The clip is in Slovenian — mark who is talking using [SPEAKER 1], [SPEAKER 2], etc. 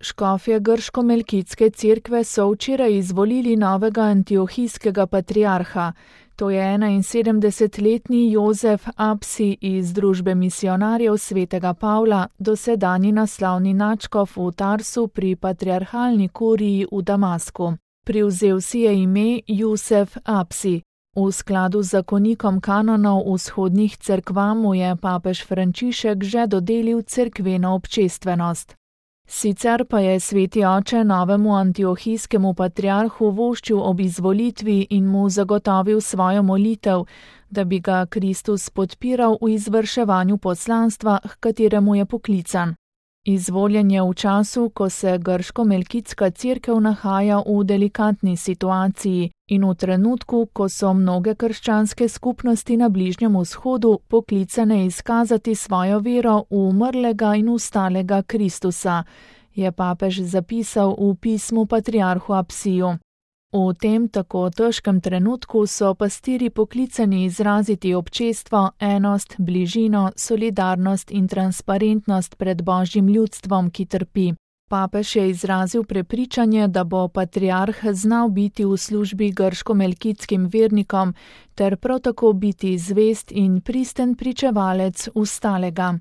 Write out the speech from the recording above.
[SPEAKER 1] Škofje grško-melkitske cerkve so včeraj izvolili novega antiohijskega patriarha. To je 71-letni Jozef Apsi iz družbe misionarjev svetega Pavla, dosedanji naslovni nadškof v Tarsu pri patriarhalni kuriji v Damasku. Privzel si je ime Jusef Apsi. V skladu z zakonikom kanonov vzhodnih cerkva mu je papež Frančišek že dodelil cerkveno občestvenost. Sicer pa je sveti oče novemu antiohijskemu patriarhu voščil ob izvolitvi in mu zagotovil svojo molitev, da bi ga Kristus podpiral v izvrševanju poslanstva, h kateremu je poklican. Izvoljen je v času, ko se grško-melkitska cerkev nahaja v delikatni situaciji in v trenutku, ko so mnoge krščanske skupnosti na Bližnjem vzhodu poklicane izkazati svojo vero v umrlega in vstalega Kristusa, je papež zapisal v pismu patriarhu Apsiju. V tem tako težkem trenutku so pastirji poklicani izraziti občestvo, enost, bližino, solidarnost in transparentnost pred Božjim ljudstvom, ki trpi. Papež je izrazil prepričanje, da bo patriarh znal biti v službi grško-melkitskim vernikom ter prav tako biti zvest in pristen pričevalec vstalega.